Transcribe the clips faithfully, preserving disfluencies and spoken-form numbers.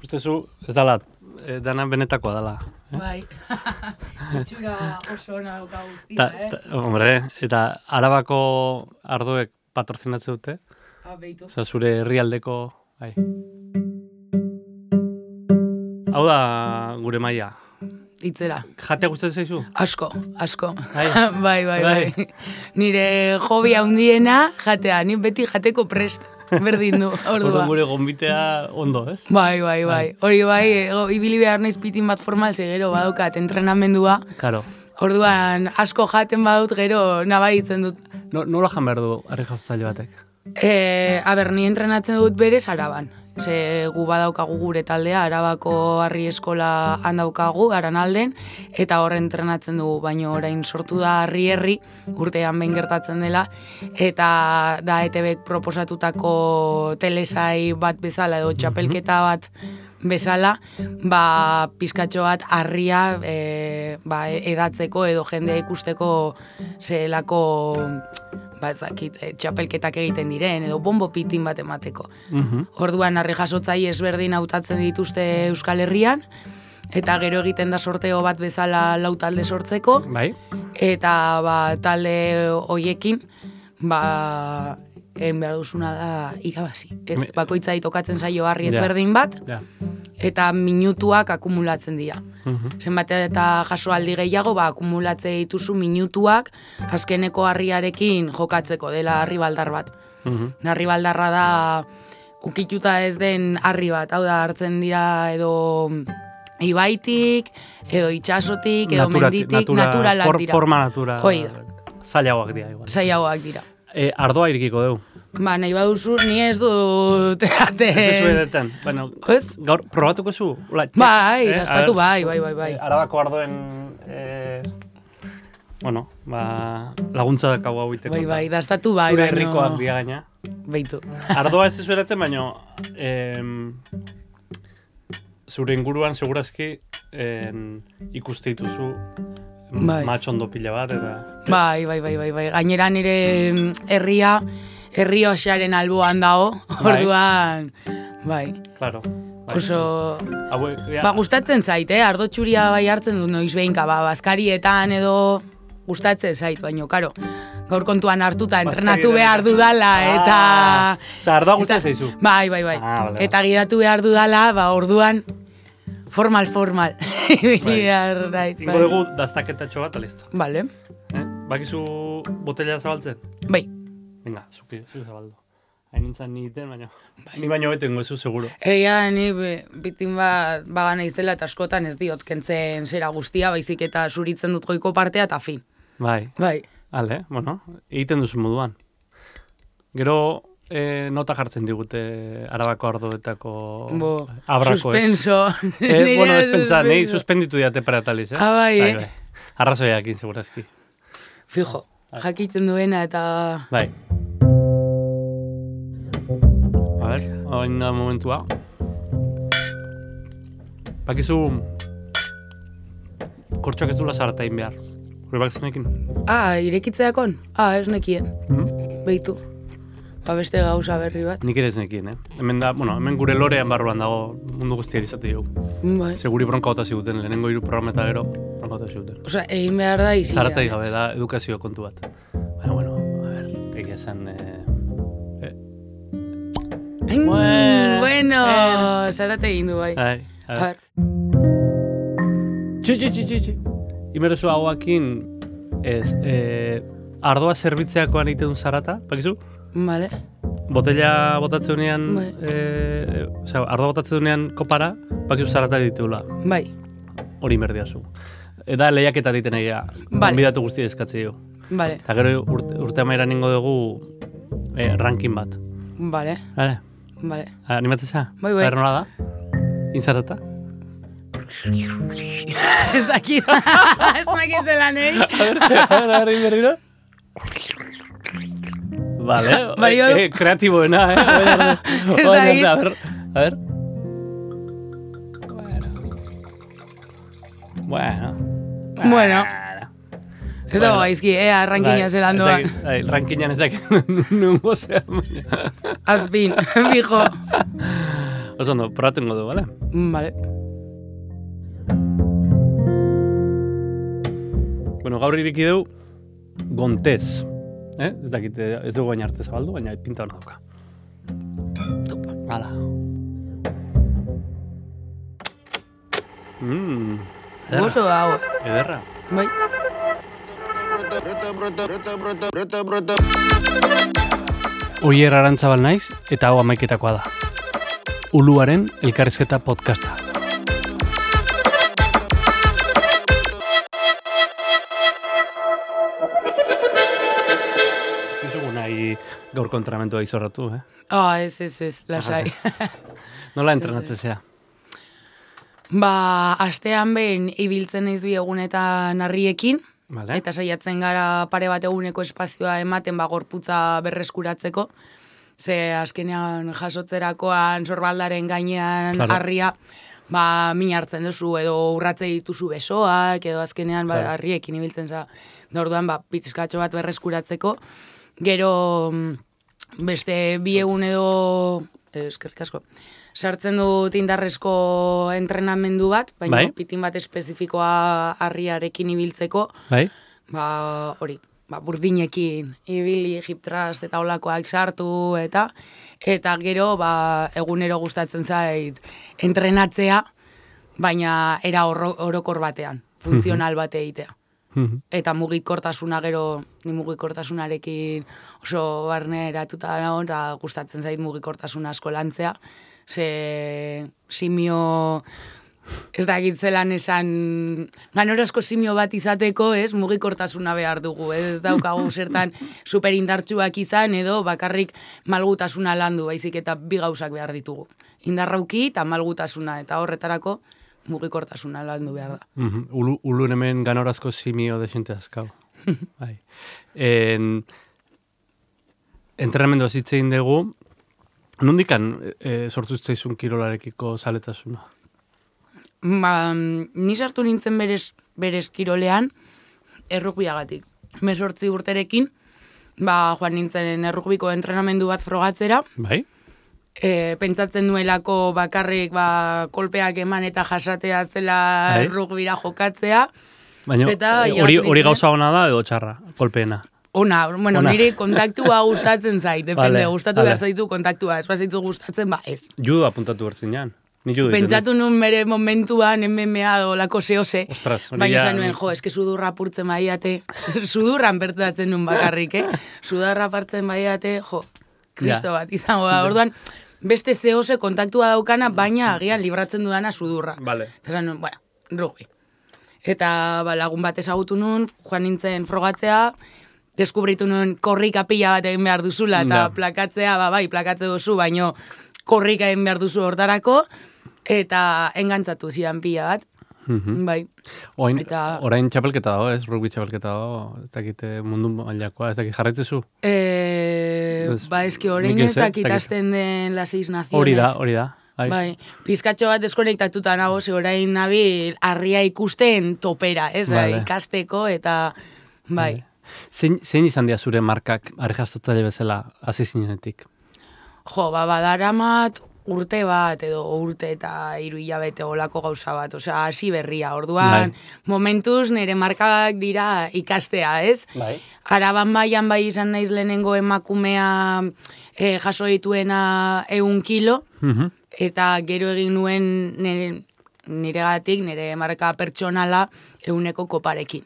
Ikustezu, ez dala, e, dana benetakoa dala. Eh? Bai, itxura oso ona dauka guztia, eh? Ta, hombre, eta Arabako ardoek patrozinatzen dute? Ah, behitu. Osa, zure herrialdeko, bai. Hau da gure maila. Itzera. Jatea gustatzen zaizu? Asko, asko. Bai, bai, bai, bai. Nire hobia handiena jatea, ni beti jateko prest. Berdin du, ordua. Ordu gure gonbitea ondo, ez? Bai, bai, bai. Hori bai, ego, ibili behar naiz pitin bat formal, ze gero badukat entrenamendua. Karo. Orduan, asko jaten badut, gero nabaritzen dut. No, nola jan behar du harri jauzaile batek? E, aber, ni entrenatzen dut berez Araban. Ze gu badaukagu gure taldea, Arabako harri eskola handaukagu, Aranalden, eta hor entrenatzen dugu, baino orain sortu da harri herri, urtean behin gertatzen dela, eta da E T Bek proposatutako telesai bat bezala, edo txapelketa bat bezala, ba, pizkatxo bat harria e, ba, edatzeko edo jendea ikusteko zelako ba ez dakit, e, txapelketak egiten diren, edo bombo pitin bat emateko. Uh-huh. Orduan, harri jasotzai ezberdin hautatzen dituzte Euskal Herrian, eta gero egiten da sorteo bat bezala lau talde sortzeko, bai. Eta ba, talde hoiekin, ba, egin behar duzuna da irabazi. Ez, bakoitzai tokatzen zaio harri ezberdin bat, ja. Eta minutuak akumulatzen dira. Uh-huh. Zenbat eta jasoaldi gehiago, ba, akumulatze dituzu minutuak azkeneko harriarekin jokatzeko dela harri baldar bat. Uh-huh. Harri baldarra da ukituta ez den harri bat, hau da hartzen dira edo ibaitik, edo itxasotik, edo natura, menditik, natura, naturalak for, dira. Forma natura. Hoi da. Zailagoak dira. Igual. Zailagoak dira. E, ardoa irikiko dugu. Ba, nahi baduzu, ni ez dut ate... Ez duzu edetan. Bueno, gaur, probatuko zu? Ula, txek, bai, eh? dastatu bai, bai, bai, bai. Arabako ardoen... Eh, bueno, ba, laguntza dakau hau iteko. Bai, bai, dastatu bai, zure baino... herrikoak dia gaina. Beitu. Ardoa ez ez edaten, baino... Eh, zure inguruan, segurazki, eh, ikuste dituzu... Bai. Matxondo pila bat, eta... Bai, bai, bai, bai, bai. Gainera nire herria, herri osearen alboan dago, orduan, bai. Claro. Bai. Oso... Haue, ja. Ba, gustatzen zait, eh? Ardo txuria bai hartzen dut noiz behinka, ba, bazkarietan edo gustatzen zait, baino, karo. Gaur kontuan hartuta, entrenatu behar dudala, eta... Ah, oza, ardoa gustatzen zaizu. Bai, bai, bai. Ah, vale, eta gidatu behar dudala, ba, orduan... Formal, formal. Bai. Ingo dugu daztaketatxo bat, listo. Vale. Eh? Bakizu botella zabaltzen? Bai. Venga, zuki, zu zabaldo. Hain nintzen niten, baina... Bai. Ni baino beto ingo ezu, seguro. Egia, ni bitin bat bagana iztela eta askotan ez diot kentzen zera guztia, baizik eta zuritzen dut goiko partea eta fin. Bai. Bai. Hale, bueno, egiten duzu moduan. Gero... E, nota jartzen digute Arabako ardoetako abrakoek. Suspenso. Eh, bueno, ez pentsa, nahi suspenditu diate parataliz, eh? Ah, bai, eh? Bai. Arrazoiakin, segurazki. Fijo, bai. Jakiten duena eta... Bai. A ber, hain da momentua. Bakizu... Kortxoak ez dula zaratain behar. Hore bak zenekin? Ah, irekitzeakon? Ah, ez nekien. Hmm? Beitu. Ba beste gauza berri bat. Nik ere ez nekien, eh? Hemen da, bueno, hemen gure lorean barruan dago mundu guztiari izate dugu. Bai. Seguri bronka bota ziguten, lehenengo hiru programa eta gero bronka bota ziguten. Osea, egin behar da izia. Zaratai gabe da edukazio kontu bat. Baina, bueno, a ver, egia esan... Eh... Eh. Ain, bueno, bueno. Eh. Zarate egin du, bai. Ai, a ver. Txu, txu, txu, txu. Imerozu hauakin, ez, eh, ardoa zerbitzeakoan egiten du zarata, bakizu? Vale. Botella botatzen dunean, bai. eh, osea, ardoa botatzen dunean kopara, bakizu zarata ditugula. Bai. Hori merdiazu. Eta lehiaketa diten egia, vale. Konbidatu guztia eskatze dugu. Vale. Eta gero urte, urte amairan ningo dugu eh, ranking bat. Vale. Vale. Vale. Animatzen za? Bai, bai. Ber nola da? Inzarata? Ez dakit. Ez dakit zelan, eh? A ver, a ver, a ver, berriro. Vale, bai, eh, eh, kreatiboena, eh? Ez dakit. A ver, a ver. Bueno. Bueno. Bueno. Ez dago gaizki, ea, rankina zelan doa. Rankinan ez dakit nungo zean. Azpin, fijo. Oso ondo, probatengo du, bale? Bale. Bueno, gaur iriki du Gontez. Eh? Ez dakit, ez dugu gaina arte zabaldu, baina pinta hona dauka. Topa. Hala. Mmm. Gozo dago. Ederra. Bai. Oier Arantzabal naiz, eta hau amaiketakoa da. Uluaren elkarrizketa podcasta. Zizugu nahi gaur kontramentua izorratu, eh? Ah, ez, ez, ez, lasai. Nola entrenatzen zea? Ba, astean behin ibiltzen naiz bi egunetan harriekin, Vale. eta saiatzen gara pare bat eguneko espazioa ematen ba gorputza berreskuratzeko. Ze azkenean jasotzerakoan sorbaldaren gainean Claro. harria, ba min hartzen duzu edo urratze dituzu besoak edo azkenean ba Claro. harriekin ibiltzen za. Orduan ba pizkatxo bat berreskuratzeko. Gero mm, beste bi egun edo eh, eskerrik asko. Sartzen dut indarrezko entrenamendu bat, baina Bai. pitin bat espezifikoa harriarekin ibiltzeko. Bai? Ba, hori, ba, burdinekin, ibili, hip thrust eta olakoak sartu, eta eta gero, ba, egunero gustatzen zait entrenatzea, baina era oro, orokor batean, funtzional bate egitea. Mhm. Eta mugikortasuna gero, ni mugikortasunarekin oso barne eratuta nago, eta gustatzen zait mugikortasuna asko lantzea, ze simio... Ez da egitzelan esan, ganorazko simio bat izateko, ez, mugikortasuna behar dugu, ez, ez daukagu zertan superindartsuak izan, edo bakarrik malgutasuna landu, baizik eta bi gauzak behar ditugu. Indarrauki eta malgutasuna, eta horretarako mugikortasuna landu behar da. Mhm. Ulu, ulun hemen ganorazko simio desente azkau. Bai. En, entrenamendu azitzein dugu, nondikan e, sortu zitzaizun kirolarekiko zaletasuna? Ba, ni sartu nintzen berez, berez kirolean errugbiagatik. Mesortzi urterekin, ba, joan nintzen errugbiko entrenamendu bat frogatzera, Bai? e, pentsatzen nuelako bakarrik ba, kolpeak eman eta jasatea zela Bai. errugbira jokatzea. Baina Eta eh, hilabete hori hori nintzen- gauza ona da edo txarra, kolpeena. Ona, bueno, Ona. nire kontaktua gustatzen zait, depende, Vale, gustatu vale. behar zaitu kontaktua, ez bazaitu gustatzen, ba ez. Judo apuntatu bertzinean. Ni judo egiten dut. Pentsatu nun bere momentuan M M A dolako zehose, Ostras, hori baina ja- esan nuen, jo, eske sudurra apurtzen baiate, sudurran bertatzen nun bakarrik, eh? Sudurra apartzen baiate, jo, kristo bat izango da. Orduan, beste zehose kontaktua daukana, baina agian libratzen dudana sudurra. Vale. Eta esan nuen, bueno, rugby. Eta ba, lagun bat ezagutu nun, joan nintzen frogatzea, deskubritu nuen korrika pila bat egin behar duzula, eta Ja. plakatzea, ba, bai, plakatze duzu, baino korrika egin behar duzu hortarako, eta engantzatu zidan pila bat, Mhm. bai. Oin, Eta- orain txapelketa dago, ez? Rugby txapelketa dago, ez dakite mundu mailakoa, ez dakit jarraitzezu? E, Ez- ba, eski orain nik ez, ez eh, dakit ez dakit. hasten den las seis naciones. Hori da, hori da. Bai. Bai, pizkatxo bat deskonektatuta nago, ze orain nabil harria ikusten topera, ez? Vale. Ikasteko, eta bai. Zein, zein izan dira zure markak argaztotzaile bezala hasi zinenetik? Jo, ba, badaramat urte bat, edo urte eta hiru hilabete olako gauza bat, osea, hasi berria, orduan, Bai. momentuz nire markak dira ikastea, ez? Bai. Araban baian bai izan naiz lehenengo emakumea eh, jaso dituena ehun kilo, Mhm. eta gero egin nuen nire, niregatik, nire marka pertsonala ehuneko koparekin,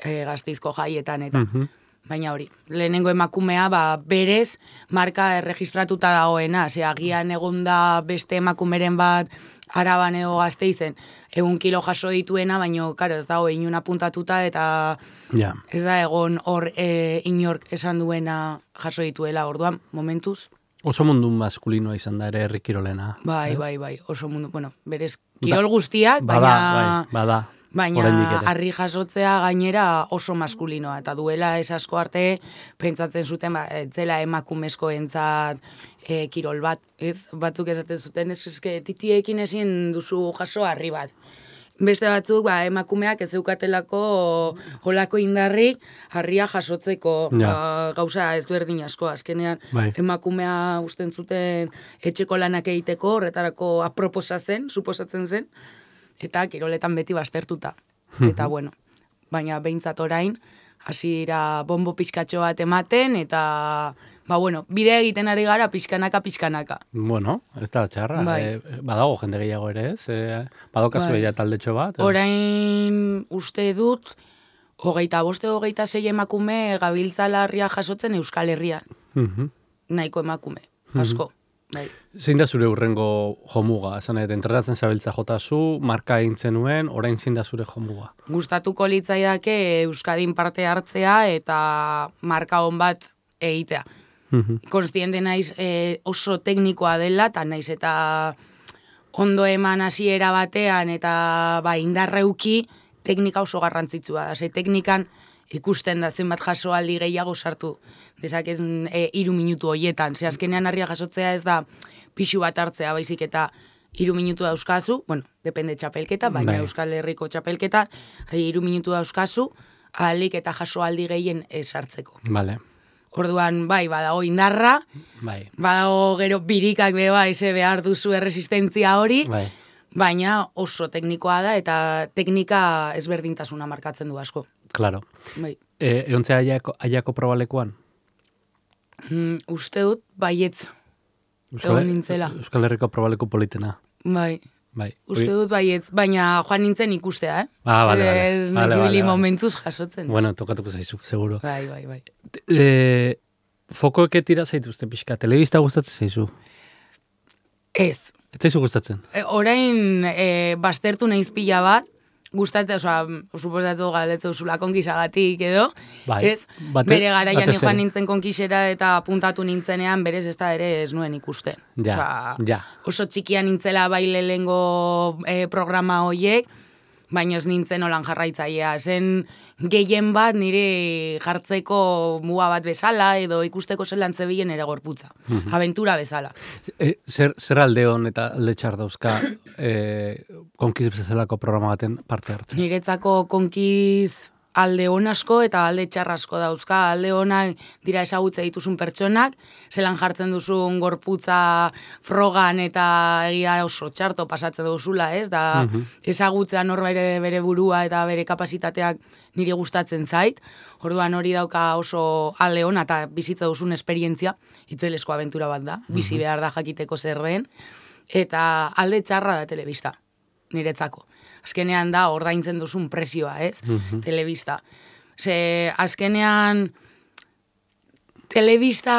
e, Gazteizko jaietan eta. Mhm. Baina hori, lehenengo emakumea ba, berez marka erregistratuta dagoena, ze agian egon da beste emakumeren bat Araban edo Gazteizen, egun kilo jaso dituena, baina karo, ez dago inun apuntatuta eta Ja. ez da egon hor e, inork esan duena jaso dituela, orduan, momentuz. Oso mundu maskulinoa izan da ere herri kirolena. Bai, ez? bai, bai, oso mundu, bueno, berez kirol guztiak, Bada, baina... bai, bada. Baina Oraindik ere. harri jasotzea gainera oso maskulinoa, eta duela ez asko arte pentsatzen zuten, ba, ez zela emakumezkoentzat e, kirol bat, ez? Batzuk esaten zuten, ez eske titiekin ezin duzu jaso harri bat. Beste batzuk, ba, emakumeak ez zeukatelako holako indarrik harria jasotzeko ja. ba, gauza ezberdin asko. Azkenean bai. emakumea usten zuten etxeko lanak egiteko, horretarako aproposa zen, suposatzen zen, eta kiroletan beti baztertuta. Eta bueno, baina behintzat orain, hasiera bombo pizkatxo bat ematen, eta ba bueno, bidea egiten ari gara pizkanaka, pizkanaka. Bueno, ez da txarra. Bai. E, badago jende gehiago ere, ez? E, badokazu bai. ja taldetxo bat? Orain uste dut, hogeita boste, hogeita sei emakume gabiltzala harria jasotzen Euskal Herrian. Uh-huh. Nahiko emakume, asko. Uh-huh. Bai. Zein da zure urrengo jomuga? Esan, et, entrenatzen zabiltza jotazu, marka egin zenuen, orain zein da zure jomuga? Gustatuko litzaidake Euskadin parte hartzea eta marka on bat egitea. Uh-huh. Konstiente naiz e, oso teknikoa dela, eta naiz eta ondo eman hasiera batean eta ba, indarreuki teknika oso garrantzitsua da. Ze teknikan ikusten da zenbat jasoaldi gehiago sartu dezakezen e, iru minutu hoietan. Ze azkenean harria jasotzea ez da pixu bat hartzea baizik eta iru minutu dauzkazu, bueno, depende txapelketa, baina bai. Euskal Herriko txapelketa, iru minutu dauzkazu, ahalik eta jasoaldi gehien sartzeko. Vale. Orduan, bai, badago indarra, bai. badago gero birikak beba, eze behar duzu erresistentzia hori, bai. baina oso teknikoa da eta teknika ezberdintasuna markatzen du asko. Claro. Bai. E, eontzea aiako, aiako probalekuan? Mm, uste dut, baietz. Euskal, egon nintzela. Euskal Herriko probaleku politena. Bai. Bai. Uste dut baietz, baina joan nintzen ikustea, eh? Ah, bale, bale. Ez vale, vale, vale. Momentuz jasotzen. Bueno, tokatuko zaizu, seguro. Bai, bai, bai. E, fokoeke tira zaituzte pixka, telebista gustatzen zaizu? Ez. Ez zaizu gustatzen? E, orain, e, baztertu nahiz pila bat, gustatzen, oza, suposatu galdetzen duzula konkisagatik edo, bai, ez? Bate, bere garaian joan nintzen konkisera eta puntatu nintzenean, berez ez da ere ez nuen ikusten. Ja, Osa, ja. Oso txikia nintzela baile lehengo e, programa hoiek, baina ez nintzen olan jarraitzailea. Zen gehien bat nire jartzeko muga bat bezala edo ikusteko zelan zebilen ere gorputza. Mm-hmm. Aventura bezala. E, zer, zer alde hon eta alde txar dauzka e, konkiz bezalako programa baten parte hartzen? Niretzako konkiz alde hon asko eta alde txar asko dauzka. Alde honak dira ezagutze dituzun pertsonak, zelan jartzen duzun gorputza frogan eta egia oso txarto pasatzen duzula, ez? Da mm-hmm. ezagutzea nor bere, bere burua eta bere kapasitateak niri gustatzen zait. Orduan hori dauka oso alde hona eta bizitza duzun esperientzia, itzelesko abentura bat da, mm-hmm. bizi behar da jakiteko zer den, eta alde txarra da telebista, niretzako. Azkenean da ordaintzen duzun presioa, ez? Mm-hmm. Telebista. Ze azkenean telebista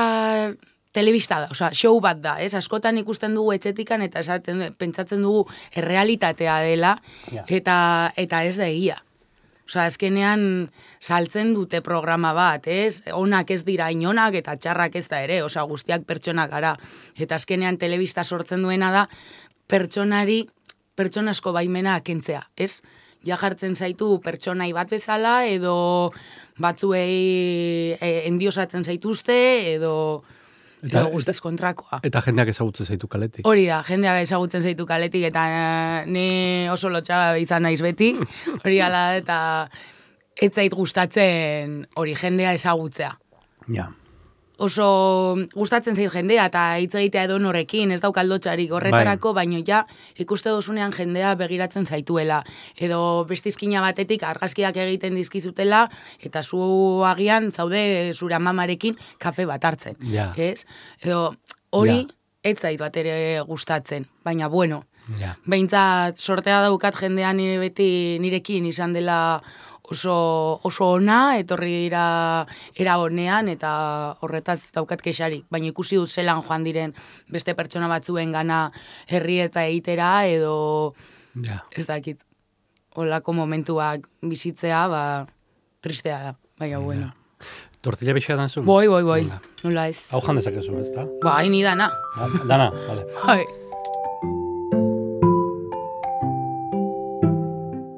telebista da, osea, show bat da, ez? Askotan ikusten dugu etxetikan eta esaten pentsatzen dugu errealitatea dela yeah. eta eta ez da egia. Osea, azkenean saltzen dute programa bat, ez? Onak ez dira inonak eta txarrak ez da ere, osea, guztiak pertsonak gara. Eta azkenean telebista sortzen duena da pertsonari pertsonasko baimena kentzea, ez? Ja jartzen zaitu pertsonai bat bezala, edo batzuei e, endiosatzen zaituzte, edo, eta, edo guztiz kontrakoa. Eta jendeak ezagutzen zaitu kaletik. Hori da, jendeak ezagutzen zaitu kaletik, eta ni oso lotxaga izan naiz beti, hori ala, eta ez zait gustatzen hori jendea ezagutzea. Ja. Oso gustatzen zait jendea eta hitz egitea edo norekin, ez daukaldotxarik horretarako, bai. Baino ja ikuste dozunean jendea begiratzen zaituela. Edo bestizkina batetik argazkiak egiten dizkizutela eta zu agian zaude zure amamarekin kafe bat hartzen. Ja. Ez? Edo hori ja. Ez zait bat ere gustatzen, baina bueno. Ja. Behintzat sortea daukat jendean nire beti nirekin izan dela oso, oso ona, etorri dira era honean, eta horretaz daukat kexarik. Baina ikusi dut zelan joan diren beste pertsona batzuen gana herri eta egitera, edo ja. Ez dakit. Olako momentuak bizitzea, ba, tristea da, baina bueno. Ja. Tortilla bixea dan zuen? Boi, boi, boi, nola ez. Hau jan dezakezu, ez da? Ba, haini dana. Dana, vale. Bai.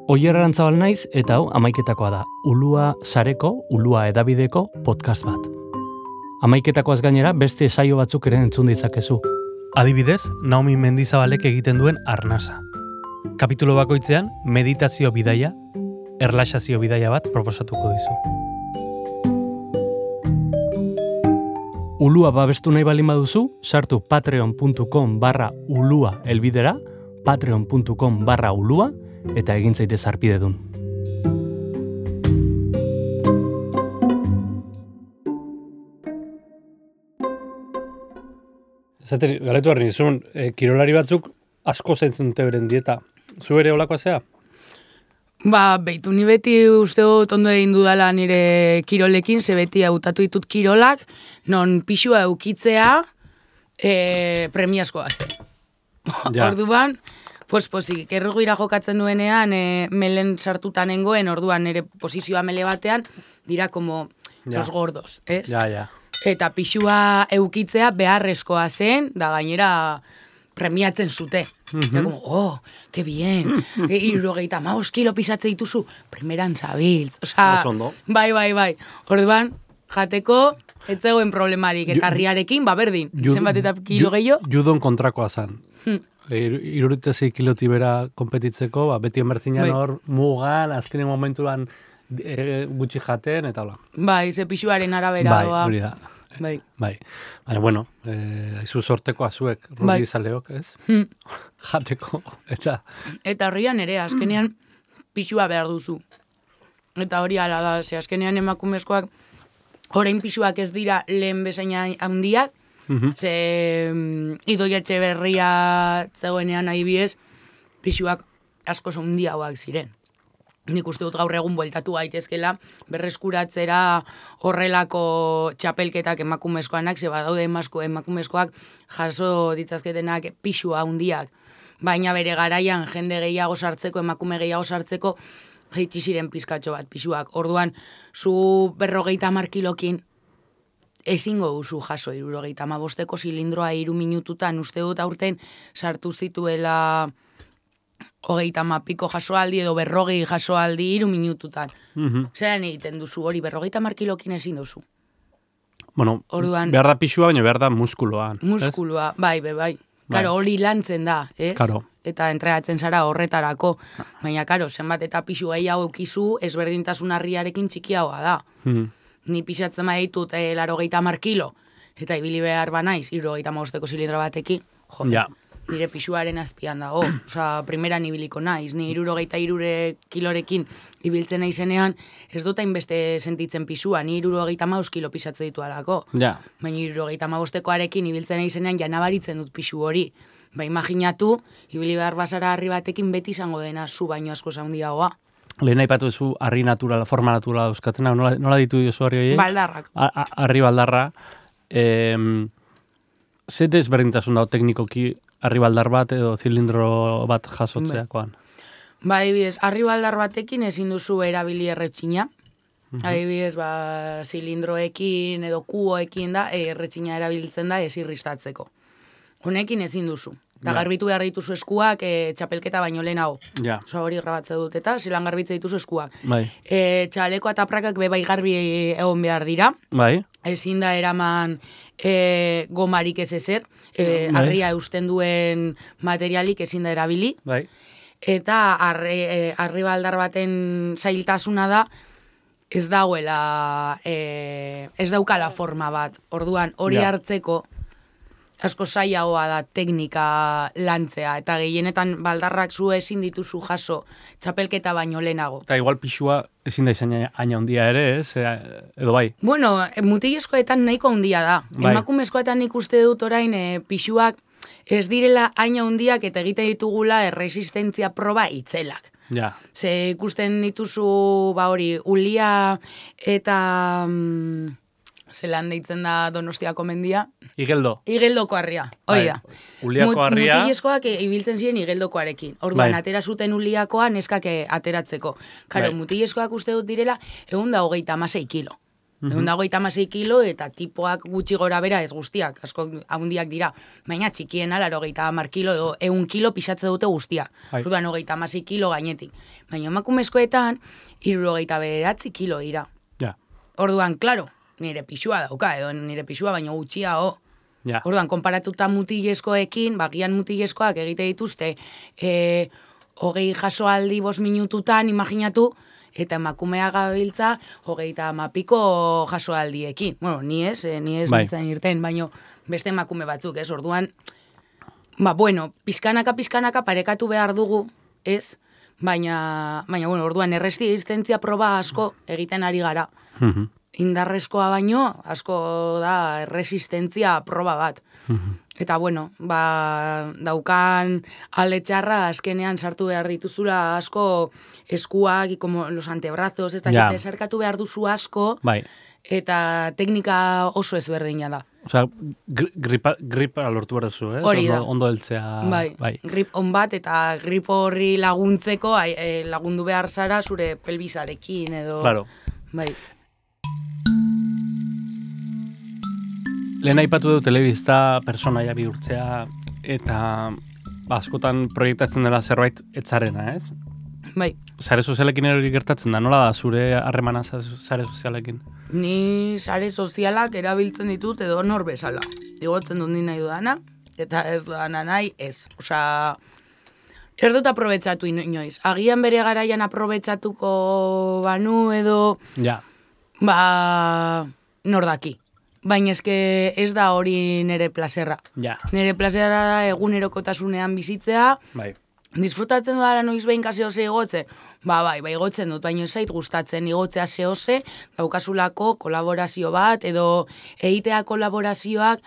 Oier Arantzabal naiz eta hau amaiketakoa da. Ulua sareko, Ulua edabideko podcast bat. Amaiketakoaz gainera beste saio batzuk ere entzun ditzakezu. Adibidez, Naomi Mendizabalek egiten duen Arnasa. Kapitulo bakoitzean, meditazio bidaia, erlaxazio bidaia bat proposatuko dizu. Ulua babestu nahi balin baduzu, sartu patreon.com barra ulua elbidera, patreon.com barra ulua, eta egin zaitez arpidedun. Zaten, galetu harri nizun, e, kirolari batzuk asko zentzen dute beren dieta. Zu ere olakoa zea? Ba, behitu ni beti uste dut ondo egin dudala nire kirolekin, ze beti hautatu ditut kirolak, non pixua eukitzea e, premiazkoa ze. Ja. Orduan, pues posik, errugira jokatzen duenean, e, melen sartutan nengoen, orduan nire posizioa mele batean, dira como ja. Los gordos, ez? Ja, ja. Eta pixua eukitzea beharrezkoa zen, da gainera premiatzen zute. Mm-hmm. Como, oh, que bien, irurogeita maus kilo pisatze dituzu, primeran zabiltz. Osa, bai, bai, bai. Orduan, jateko, ez zegoen problemarik, eta harriarekin, ba, berdin. Zenbat eta kilo gehiago? Judon kontrakoa zan. Hmm. Irurutezei kiloti bera kompetitzeko, ba, beti emertzinan hor, mugan, azkenen momentuan e, gutxi jaten, eta hola. Bai, ze pixuaren arabera. Bai, hori da. Bai. Bai. Baina, bueno, eh, aizu sorteko azuek, rudi bai. Zaleok, ez? Hmm. Jateko, eta... Eta horrian ere, azkenean pixua behar duzu. Eta hori ala da, ze azkenean emakumezkoak, orain pixuak ez dira lehen bezaina handiak, mm-hmm. ze um, Idoia Etxeberria zegoenean adibidez, pixuak asko handiagoak ziren. Nik uste dut gaur egun bueltatu gaitezkela berreskuratzera horrelako txapelketak emakumezkoanak, ze badaude emasko, emakumezkoak jaso ditzazketenak pixua handiak. Baina bere garaian jende gehiago sartzeko, emakume gehiago sartzeko, jaitsi ziren pizkatxo bat pixuak. Orduan, zu berrogeita hamar kilokin ezingo duzu jaso hirurogeita hamabosteko zilindroa hiru minututan, uste dut aurten sartu zituela hogeita hamapiko jasoaldi edo berrogei jasoaldi hiru minututan. Mm-hmm. Zeran egiten duzu hori, berrogeita hamar kilokin ezin duzu. Bueno, orduan, behar da pixua, baina behar da muskuloa. Muskuloa, ez? Bai, bai, bai. Karo, hori lantzen da, ez? Karo. Eta entregatzen zara horretarako. Baina, karo, zenbat eta pixu gehiago eukizu, ezberdintasun harriarekin txikiagoa da. Mm-hmm. Ni pixatzen baditut eh, larogeita hamar kilo, eta ibili behar banaiz, hirurogeita hamabosteko zilindro batekin, jo. Ja. Nire pixuaren azpian dago, osea, primeran ibiliko naiz, ni hirurogeita hirure kilorekin ibiltzen naizenean, ez dut hainbeste sentitzen pixua, ni hirurogeita hamabost kilo pisatze ditu alako. Ja. Baina hirurogeita hamabostekoarekin ibiltzen naizenean ja nabaritzen dut pixu hori. Ba, imaginatu, ibili behar bazara harri batekin beti izango dena zu baino asko handiagoa. Lehen aipatu duzu harri naturala, forma naturala euskatena, nola, nola ditu duzu harri horiek? Baldarrak. Harri baldarra. Eh, Zer desberdintasun dago teknikoki arribaldar bat edo zilindro bat jasotzeakoan? Ba, adibidez, arribaldar batekin ezin duzu erabili erretxina. Uh-huh. Adibidez, ba, zilindroekin edo kuboekin da, erretxina erabiltzen da ez irristatzeko. Honekin ezin duzu. Eta ja. Garbitu behar dituzu eskuak e, txapelketa baino lehenago. Ja. Osa hori grabatze dut eta zilan garbitze dituzu eskuak. Bai. E, txaleko eta prakak be bai garbi egon behar dira. Bai. Ezin da eraman e, gomarik ez ezer. E, bai. Arria eusten duen materialik ezin da erabili. Bai. Eta arri, e, arri baldar baten zailtasuna da ez dauela, e, ez daukala forma bat. Orduan hori ja. Hartzeko asko zailagoa da teknika lantzea, eta gehienetan baldarrak zu ezin dituzu jaso txapelketa baino lehenago. Eta igual pixua ezin da izan aina handia ere, ez? Edo bai? Bueno, mutilezkoetan nahiko handia da. Bai. Emakumezkoetan ikuste dut orain e, pixuak ez direla aina handiak eta egite ditugula erresistentzia proba itzelak. Ja. Ze ikusten dituzu, ba hori, ulia eta... Mm, zelan deitzen da Donostiako mendia. Igeldo. Igeldoko harria, hori da. Uliako harria. Mutilezkoak ibiltzen ziren igeldokoarekin. Orduan, bai. Atera zuten uliakoa neskak ateratzeko. Karo, bai. Mutilezkoak uste dut direla, egun da hogeita hamasei kilo. Uh-huh. Egun da hogeita hamasei kilo eta tipoak gutxi gora bera ez guztiak, asko handiak dira. Baina txikiena, laro hogeita hamar kilo, edo egun kilo pisatze dute guztiak. Bai. Orduan, hogeita hamasei kilo gainetik. Baina emakumezkoetan, hirurogeita bederatzi kilo dira. Ja. Orduan, klaro, nire pixua dauka, edo nire pixua baino gutxia, o. Ja. Orduan, konparatuta mutilezkoekin, bagian mutilezkoak egite dituzte, e, hogei jasoaldi bost minututan, imaginatu, eta emakumea gabiltza hogeita hamapiko jasoaldiekin. Bueno, ni ez, eh, ni ez bai. nintzen irten, baino beste emakume batzuk, ez? Orduan, ba, bueno, pizkanaka, pizkanaka parekatu behar dugu, ez? Baina, baina, bueno, orduan, erresistentzia proba asko egiten ari gara. Mhm. Indarrezkoa baino, asko da erresistentzia proba bat. Eta, bueno, ba, daukan alde txarra azkenean sartu behar dituzula asko eskuak, como los antebrazos, ez Ja. dakit, desarkatu behar duzu asko, Bai. eta teknika oso ezberdina da. Osea, gri- gripa, gripa lortu behar duzu, eh? Hori da. Ondo, ondo heltzea. Bai, bai. grip on bat, eta grip horri laguntzeko ai, eh, lagundu behar zara zure pelbisarekin, edo... Claro. Bai. Lehen aipatu du telebista personaia bihurtzea eta ba, askotan proiektatzen dela zerbait etzarena, ez? Bai. Sare sozialekin hori gertatzen da, nola da zure harremana za- sare sozialekin? Ni sare sozialak erabiltzen ditut edo nor bezala. Igotzen dut ni nahi dudana, eta ez dudana nahi, ez. Osea, ez dut aprobetsatu inoiz. Agian bere garaian aprobetsatuko banu edo, Ja. ba, nor daki. Baina eske ez da hori nire plazerra. Ja. Nire plazerra da egunerokotasunean bizitzea, Bai. disfrutatzen dudala noiz behin zehose igotze? Ba, bai, bai, igotzen dut, baina ez zait gustatzen igotzea zehose, daukasulako kolaborazio bat, edo egitea kolaborazioak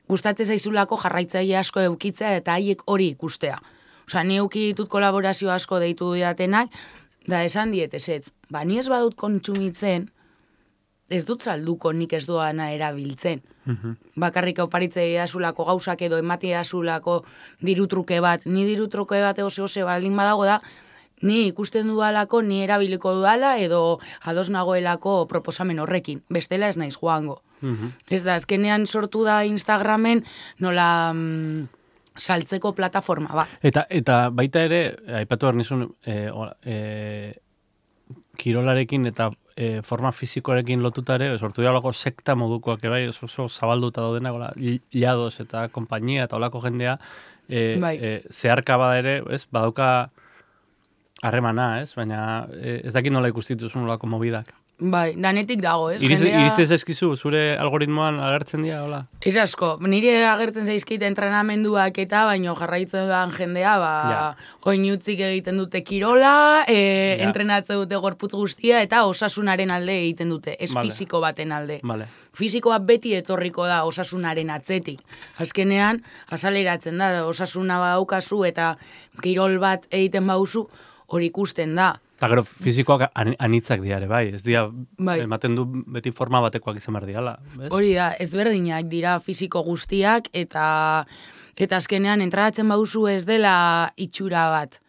gustatzen zaizulako jarraitzaile asko eukitzea eta haiek hori ikustea. Osea, ni euki ditut kolaborazio asko deitu diatenak, da esan diet ezetz. Ba, ni ez badut kontsumitzen, ez dut salduko nik ez doana erabiltzen. Bakarrik oparitzea azulako gauzak edo ematea azulako dirutruke bat. Ni dirutruke bat ose-ose baldin badago da, ni ikusten dudalako, ni erabiliko dudala edo ados nagoelako proposamen horrekin. Bestela ez naiz joango. Ez da, azkenean sortu da Instagramen nola mm, saltzeko plataforma bat. Eta, eta baita ere, aipatu behar nizun, e, e, kirolarekin eta e, forma fizikoarekin lotutare, sortu da olako sekta modukoak, bai, oso, oso zabalduta daudenak, ola, llados eta konpainia eta olako jendea, e, Bai. e, zeharka bada ere, ez, badauka harremana, ez, baina e, ez dakit nola ikustituzun olako mobidak. Bai, danetik dago, ez? Iriz, Jendea- Iriztez eskizu, zure algoritmoan agertzen dira, hola? Ez asko, nire agertzen zaizkit entrenamenduak eta, baino jarraitzen dudan jendea, ba, Ja. oin utzik egiten dute kirola, e, Ja. entrenatzen dute gorputz guztia, eta osasunaren alde egiten dute, ez Vale. fisiko baten alde. Vale. Fisikoa beti etorriko da osasunaren atzetik. Azkenean, azaleratzen da, osasuna badaukazu eta kirol bat egiten bauzu, hori ikusten da. Eta gero, fizikoak an- anitzak diare, bai, ez dira, Bai. ematen du beti forma batekoak izan behar diala, bez? Hori da, ezberdinak dira fisiko guztiak, eta eta azkenean entratzen bauzu ez dela itxura bat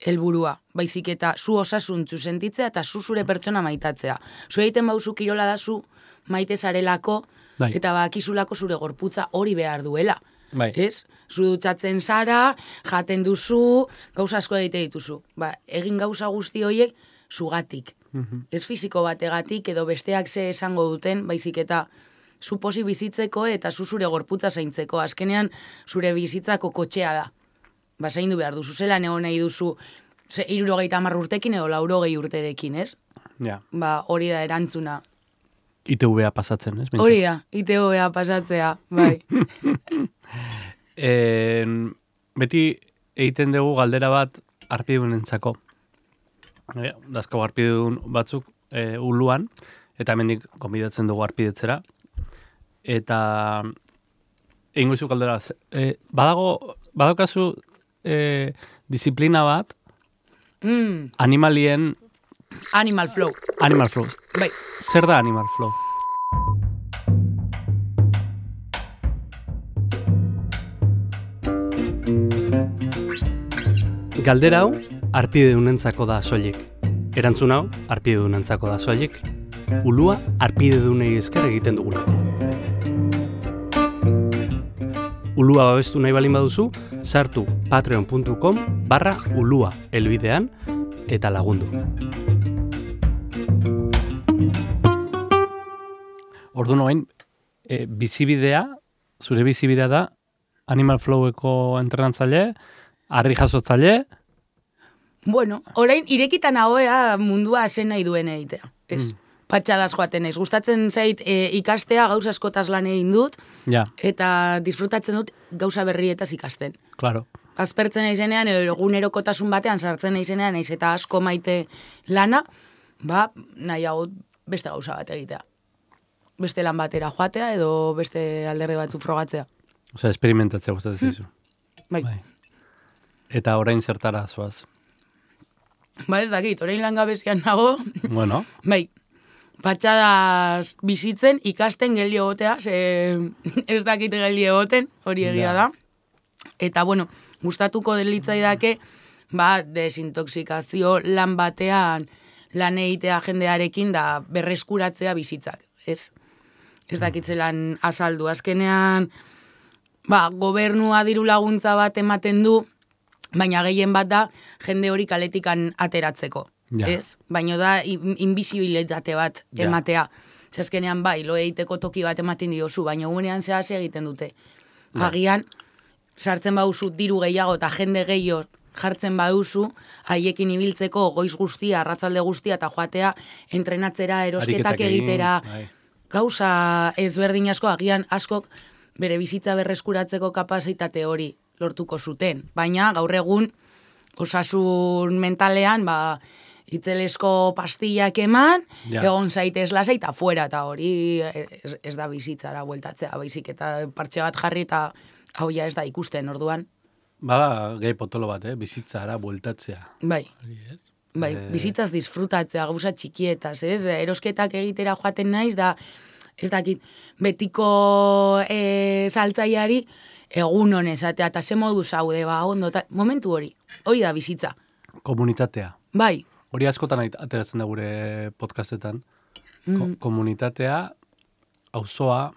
helburua, baizik eta zu osasuntzu sentitzea eta zu zure pertsona maitatzea. Zu egiten bauzu kirola da zu maite zarelako, Bai. eta bakizulako zure gorputza hori behar duela. Bai. Ez? Zu dutxatzen zara, jaten duzu, gauza asko egite dituzu. Ba, egin gauza guzti horiek zugatik. Ez fisiko bategatik edo besteak ze esango duten, baizik eta zu posi bizitzeko eta zu zure gorputza zaintzeko. Azkenean zure bizitzako kotxea da. Ba, zaindu behar duzu, zelan egon nahi duzu ze, irurogeita hamar urtekin edo laurogei urterekin, ez? Ja. Ba, hori da erantzuna. I T V-a pasatzen, ez? Behintzat. Hori da, I T V-a pasatzea, bai. E, beti egiten dugu galdera bat arpidunentzako. E, dazkago arpidun batzuk e, uluan, eta hemendik konbidatzen dugu arpidetzera. Eta egingo izu galdera. E, badago, badaukazu e, disiplina bat Mm, animalien Animal Flow, Animal Flow. bai. Zer da Animal Flow? Galdera hau, arpidedunentzako da soilik. Erantzun hau, arpidedunentzako da soilik. Ulua arpidedunei esker egiten dugula. Ulua babestu nahi balin baduzu, sartu patreon puntu com barra ulua elbidean eta lagundu. Ordu noain, e, bizibidea, zure bizibidea da, Animal Floweko entrenatzaile, harri jasotzaile, Bueno, orain irekitan hauea mundua zen nahi duen egitea. Ez, mm. patxadaz joaten ez. Gustatzen zait e, ikastea gauza askotaz lan egin dut, ja. eta disfrutatzen dut gauza berrietaz ikasten. Claro. Azpertzen naizenean, edo egunerokotasun batean sartzen naizenean, naiz eta asko maite lana, ba, nahiago beste gauza bat egitea. Beste lan batera joatea, edo beste alderdi batzu frogatzea. Osea, experimentatzea gustatzen zizu. Bai. bai. Eta orain zertara zoaz? Ba ez dakit, orain langabezian nago. Bueno. Bai, patxadaz bizitzen, ikasten geldi egotea, ze ez dakit geldi egoten, hori egia da. Eta, bueno, gustatuko delitzaidake, ba, desintoxikazio lan batean lan egitea jendearekin da berreskuratzea bizitzak, ez? Ez dakitzelan azaldu. Azkenean, ba, gobernua diru laguntza bat ematen du, baina gehien bat da jende hori kaletikan ateratzeko, ja. Ez? Baina da invisibilitate bat ja. ematea. Zazkenean bai, lo egiteko toki bat ematen diozu, baina unean zehaz egiten dute. Ja. Agian, sartzen baduzu diru gehiago eta jende gehiago jartzen baduzu, haiekin ibiltzeko goiz guztia, arratzalde guztia eta joatea entrenatzera, erosketak egitera, bai. Gauza ezberdin asko, agian askok bere bizitza berreskuratzeko kapazitate hori lortuko zuten. Baina gaur egun osasun mentalean, ba, itzelesko pastillak eman, ja. Egon zaitez lasa eta fuera, eta hori ez, ez da bizitzara bueltatzea, baizik eta partxe bat jarri eta hau ja ez da ikusten orduan. Bada, gehi potolo bat, eh? Bizitzara bueltatzea. Bai. Yes. Bai, e... bizitzaz disfrutatzea, gauza txikietaz, ez? Erosketak egitera joaten naiz, da, ez dakit, betiko e, saltzaiari egun honezatea, eta ze modu zaude, ba, ondo, ta, momentu hori, hori da bizitza. Komunitatea. Bai. Hori askotan ateratzen da gure podcastetan. Mm. Ko komunitatea, auzoa,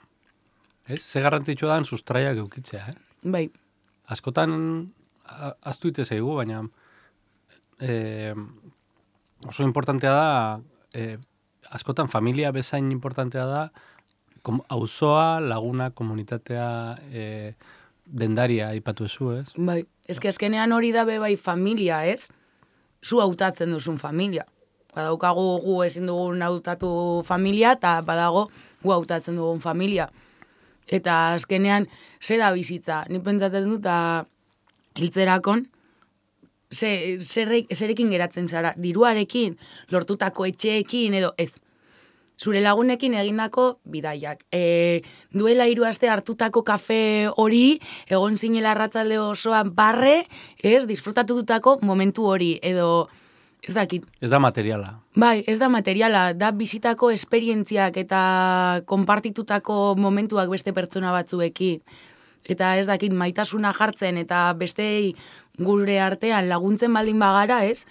ez? Ze garrantzitsua da sustraiak eukitzea, eh? Bai. Askotan aztu ite zaigu, baina eh, oso importantea da, eh, askotan familia bezain importantea da, auzoa, laguna, komunitatea, eh, dendaria aipatu ezu, ez? Bai, ezke azkenean hori da be bai familia, ez? Zu hautatzen duzun familia. Badaukagu gu ezin dugun hautatu familia, eta badago gu hautatzen dugun familia. Eta azkenean, ze da bizitza? Ni pentsatzen dut, eta hiltzerakon, ze, zerrek, zerekin geratzen zara? Diruarekin, lortutako etxeekin, edo ez. Zure lagunekin egindako bidaiak. E, duela hiru aste hartutako kafe hori, egon zinela arratzalde osoan barre, ez, disfrutatutako momentu hori, edo, ez dakit. Ez da materiala. Bai, ez da materiala, da bizitako esperientziak eta konpartitutako momentuak beste pertsona batzuekin. Eta ez dakit, maitasuna jartzen eta bestei gure artean laguntzen baldin bagara, ez,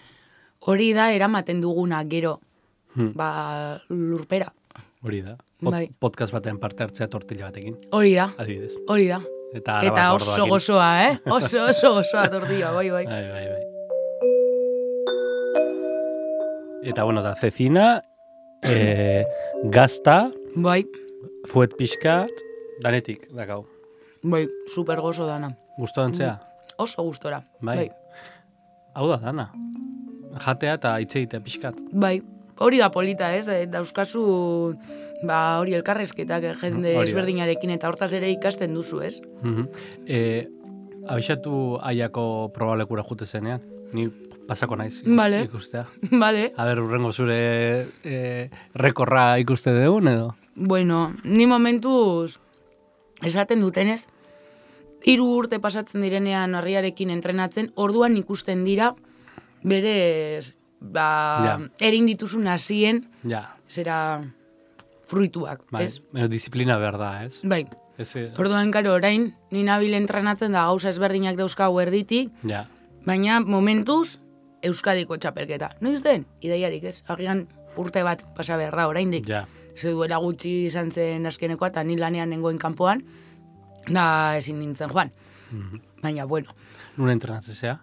hori da eramaten duguna gero. Hmm. Ba, lurpera. Hori da. Pod, bai. Podcast batean parte hartzea tortilla batekin. Hori da. Adibidez. Hori da. Eta, eta oso gozoa, eh? Oso, oso gozoa tortilla, bai, bai. Bai, bai, bai. Eta, bueno, da, cecina, eh, gazta, bai. Fuet pixkat, danetik, dakau. Bai, super gozo dana. Gusto dantzea? Oso gustora. Bai. bai. Hau da, dana. Jatea eta itzeite pixkat. Bai. Hori da polita, ez? Dauzkazu, ba, hori elkarrezketak jende ezberdinarekin eta hortaz ere ikasten duzu, ez? Mm-hmm. e, abixatu aiako probalekura jute zenean. Ni pasako naiz vale. Ikustea. Vale. A ber, urrengo zure e, rekorra ikuste dugun, edo? Bueno, ni momentuz esaten dutenez, hiru urte pasatzen direnean harriarekin entrenatzen, orduan ikusten dira berez... ba, ja. Erin dituzun hasien, ja. Zera fruituak, bai. Ez? Pero disiplina berda, ez? Bai. Ese... Orduan, karo, orain, ni nabil entrenatzen da gauza ezberdinak dauzkagu erditik, ja. Baina momentuz, Euskadiko txapelketa. Noiz den? Ideiarik, ez? Agian urte bat pasa behar da, oraindik. Ja. Ze duela gutxi izan zen azkenekoa, eta ni lanean nengoen kanpoan, da ezin nintzen joan. Mm-hmm. Baina, bueno. Nuna entrenatzen zea?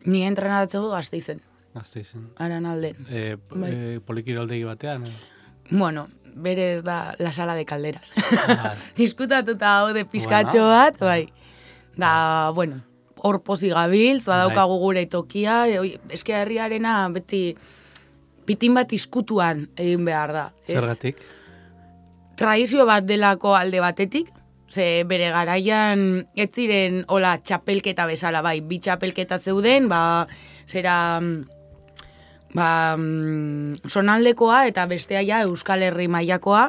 Ni entrenatzen Gasteizen. Gasteizen. Aran alden. E, bai. e, Polikiraldegi batean? Eh? Bueno, berez da la sala de calderas. Diskutatuta hau de pizkatxo bueno. bat, bai. Da, bueno. hor pozik gabiltz, badaukagu gure tokia, e, eske herriarena beti pitin bat izkutuan egin behar da. Ez? Zergatik? Tradizio bat delako alde batetik, ze bere garaian ez ziren hola txapelketa bezala, bai, bi txapelketa zeuden, ba, zera, ba, sonaldekoa eta bestea ja Euskal Herri mailakoa,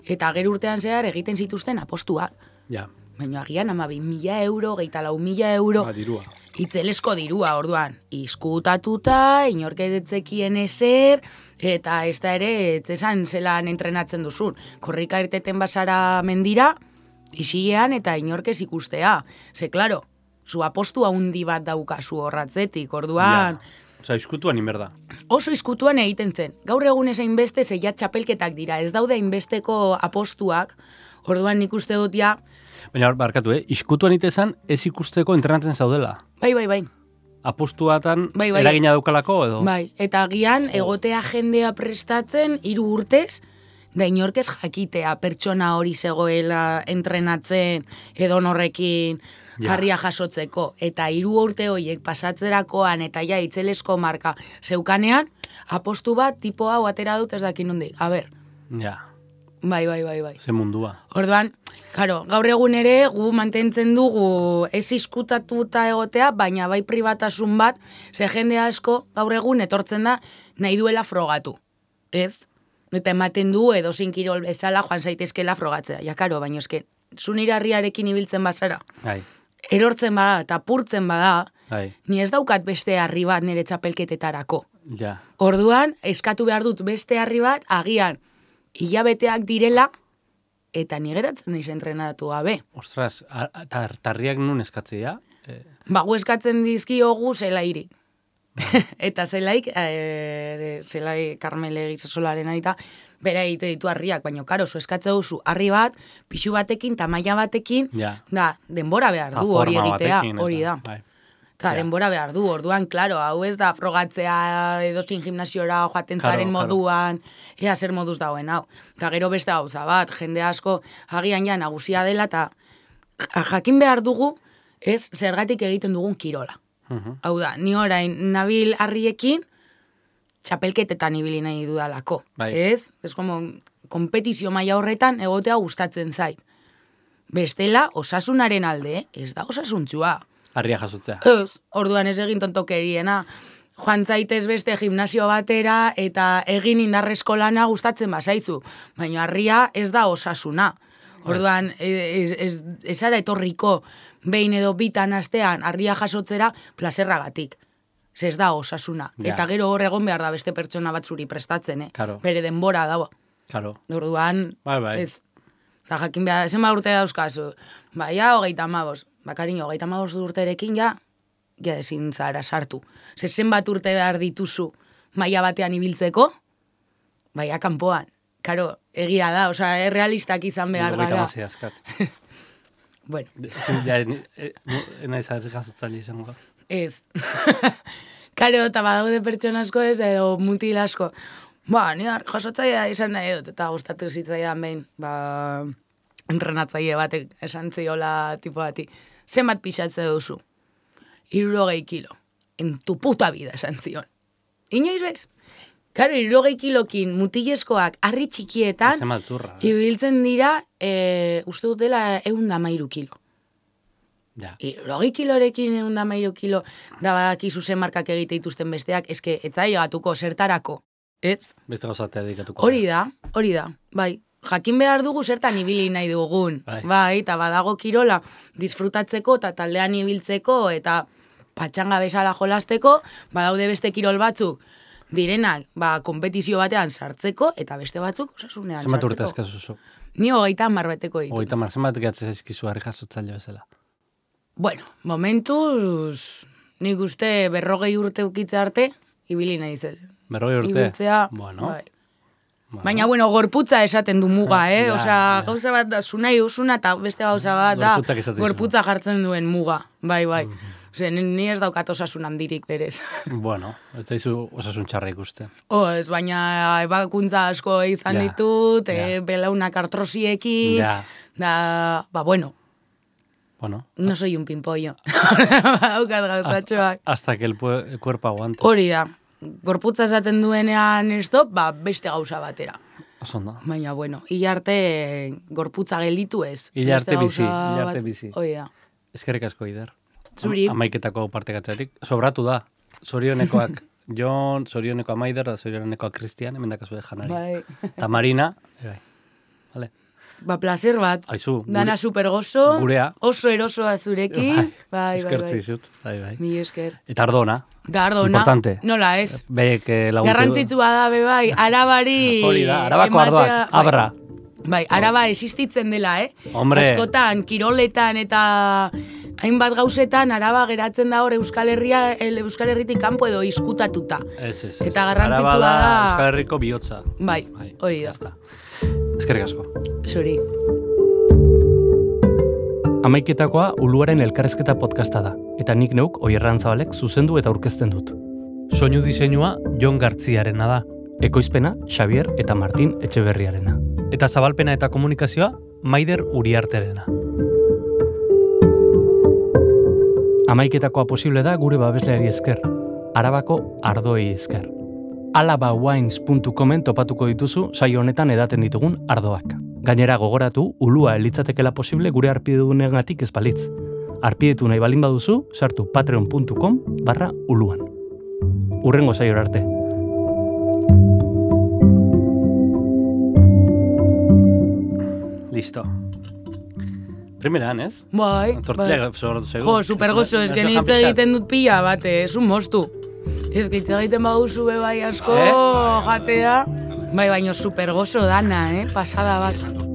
eta gero urtean zehar egiten zituzten apostuak. Ja. Baina agian ama bi mila euro, geita lau mila euro. Ba, dirua. Itzelesko dirua, orduan. Izkutatuta, inorketetzekien ezer, eta ez da ere, etzesan zelan entrenatzen duzun. Korrika irteten basara mendira, isilean eta inorkez ikustea. Ze, klaro, zu apostu handi bat daukazu horratzetik, orduan... Ja. Osa, izkutuan inberda. Oso izkutuan egiten zen. Gaur egun ez hainbeste zeia txapelketak dira. Ez daude hainbesteko apostuak, orduan nik uste dut ja... Baina, barkatu, eh? Izkutuan itezan ez ikusteko entrenatzen zaudela. Bai, bai, bai. Apostuatan bai, bai. eragina daukalako edo? Bai, eta agian egotea jendea prestatzen hiru urtez, da inorkez jakitea pertsona hori zegoela entrenatzen edo norrekin harria jasotzeko. Eta hiru urte horiek pasatzerakoan eta ja itzelesko marka zeukanean, apostu bat tipo hau atera dut ez dakin nondik. A ber. Ja. Bai, bai, bai, bai. Ze mundua. Orduan, karo, gaur egun ere gu mantentzen dugu ez izkutatuta egotea, baina bai pribatasun bat, ze jende asko gaur egun etortzen da nahi duela frogatu. Ez? Eta ematen du edo zinkirol bezala joan zaitezkela frogatzea. Ja, karo, baina eske, zunirarriarekin ibiltzen bazara. Bai. Erortzen bada eta purtzen bada, Bai. ni ez daukat beste harri bat nire txapelketetarako. Ja. Orduan, eskatu behar dut beste harri bat, agian, hilabeteak direla, eta ni geratzen naiz entrenatu gabe. Ostras, tar, tarriak nun eskatzea? Eh. Ba, gu eskatzen dizkiogu zelairi. Eta zelaik, e, zelai Karmele Gizasolaren aita, bera egite ditu harriak, baina karo, zu eskatze duzu harri bat, pixu batekin, tamaila batekin, ja. Da, denbora behar du hori egitea, hori da. Bai. Eta denbora behar du, orduan, klaro, hau ez da frogatzea edozin gimnasiora joaten zaren claro, moduan, claro. Ea zer moduz dauen, hau. Eta gero beste gauza bat, jende asko agian ja nagusia dela, eta jakin behar dugu, ez zergatik egiten dugun kirola. Uh-huh. Hau da, ni orain nabil harriekin, txapelketetan ibili nahi dudalako. Bai. Ez? Ez como, kompetizio maila horretan egotea gustatzen zait. Bestela, osasunaren alde, ez da osasuntzua. Harria jasotzea. Ez, orduan ez egin tontokeriena. Joan zaitez beste gimnasio batera eta egin indarrezko lana gustatzen bazaitzu. Baina harria ez da osasuna. Orduan, ez, ez, ez ara etorriko behin edo bitan astean harria jasotzera plazerragatik. Ez da osasuna. Ja. Eta gero hor egon behar da beste pertsona bat zuri prestatzen, eh? Claro. Bere denbora dago. Claro. Orduan, bai, bai. ez. Eta jakin behar, zen ba urte dauzkazu. Ba, ja, hogeita amabos. Ba, kariño, hogeita amabos urterekin, ja, ja ezin zara sartu. Ze zenbat urte behar dituzu maila batean ibiltzeko, baina kanpoan. Karo, egia da, osea, errealistak izan behar gara. Hogeita amasei azkat. Bueno. Ja, naiz harri jasotzaile izango. Ez. Karo, eta badaude pertsona asko ez, edo mutil asko. Ba, ni jasotzailea izan nahi dut, eta gustatu zitzaidan behin, ba, entrenatzaile batek esan ziola tipo bati. Zenbat pixatze duzu? Hirurogei kilo. En tu puta vida esan zion. Inoiz bez? Karo, hirurogei kilokin mutilezkoak harri txikietan, ibiltzen dira, e, uste dutela eunda mairu kilo. Ja. Hirurogei kilorekin eunda mairu kilo, da badakizu zen markak egite dituzten besteak, eske etzai gatuko zertarako. Ez? Beste gauzatea dedikatuko. Hori da, hori da, bai. Jakin behar dugu zertan ibili nahi dugun. Bai, bai eta badago kirola disfrutatzeko eta taldean ibiltzeko eta patxanga bezala jolasteko, badaude beste kirol batzuk direnak, ba, kompetizio batean sartzeko eta beste batzuk osasunean sartzeko. Zenbat urte eskazuzu? Ni hogeita hamar beteko ditu. Hogeita hamar, zenbat gehatzen zaizkizu harri jasotzaile bezala? Bueno, momentuz, nik uste berrogei urte ukitze arte, ibili nahi zel. Berrogei urte? Ibiltzea, bueno. bai. Bueno. Baina, bueno, gorputza esaten du muga, eh? Ja, Osea, ja. gauza bat da, zunai usuna eta beste gauza bat da, gorputza jartzen duen muga. Bai, bai. Mm-hmm. Ose, ni ez daukat osasun handirik berez. Bueno, ez zaizu osasun txarra ikuste. Oh, ez, baina ebakuntza asko izan ja, ditut, ja. E, belaunak artrosiekin, ja. da, ba, bueno. Bueno. No soy un pimpollo. Haukat gauzatxoak. Hasta, hasta que el, el cuerpo aguante. Hori da. Gorputza esaten duenean stop, ba, beste gauza batera. Osondo. Baina, bueno, hila arte gorputza gelditu ez. Hila arte Beste bizi, gauza hila arte bat- bizi. Hori da. Eskerrik asko, Ider. Zuri. Am- Amaiketako partekatzeatik. Sobratu da. Zorionekoak Jon, zorioneko Amaider, da zorionekoak Cristian, hemen dakazue janari. Bai. Ta Marina, bai. Vale. Ba, placer bat. Aizu, gure- Dana supergozo. gurea. Oso erosoa zurekin. Bai, bai, Eskertzi bai. zut. Bai, bai. Mi esker. Eta ardona. Da, ardona. Importante. Nola ez. Beek eh, laguntze. Garrantzitsua da, be bai, arabari... Hori da, arabako ematea- ardoak, bai. abra. Bai, araba existitzen dela, eh? Hombre. Askotan, kiroletan eta hainbat gauzetan araba geratzen da hor Euskal Herria, el Euskal Herritik kanpo edo izkutatuta. Ez, ez, ez. Eta garrantzitsua Araba da... Euskal Herriko bihotza. Bai, Bai, hori da. jazta. Eskerrik asko. Zuri. Amaiketakoa Uluaren elkarrezketa podcasta da, eta nik neuk Oierran Zabalek zuzendu eta aurkezten dut. Soinu diseinua Jon Gartziarena da, Ekoizpena Xavier eta Martin Etxeberriarena. eta zabalpena eta komunikazioa Maider Uriarterena. Amaiketakoa posible da gure babesleari esker, Arabako ardoei esker. alabawines puntu comen topatuko dituzu saio honetan edaten ditugun ardoak. Gainera gogoratu, ulua elitzatekela posible gure arpidedunegatik ez balitz. Arpidetu nahi balin baduzu, sartu patreon puntu com barra uluan. Urrengo saiora arte. Listo. Primeran, ez? Bai, Tortilla bai. sobratu zaigu. Jo, supergozo, ez que nintze egiten dut pila bate, ez un mostu. Ez que hitz egiten baduzu be bai asko Eh? jatea. Bai, baino supergozo dana, eh? Pasada bat.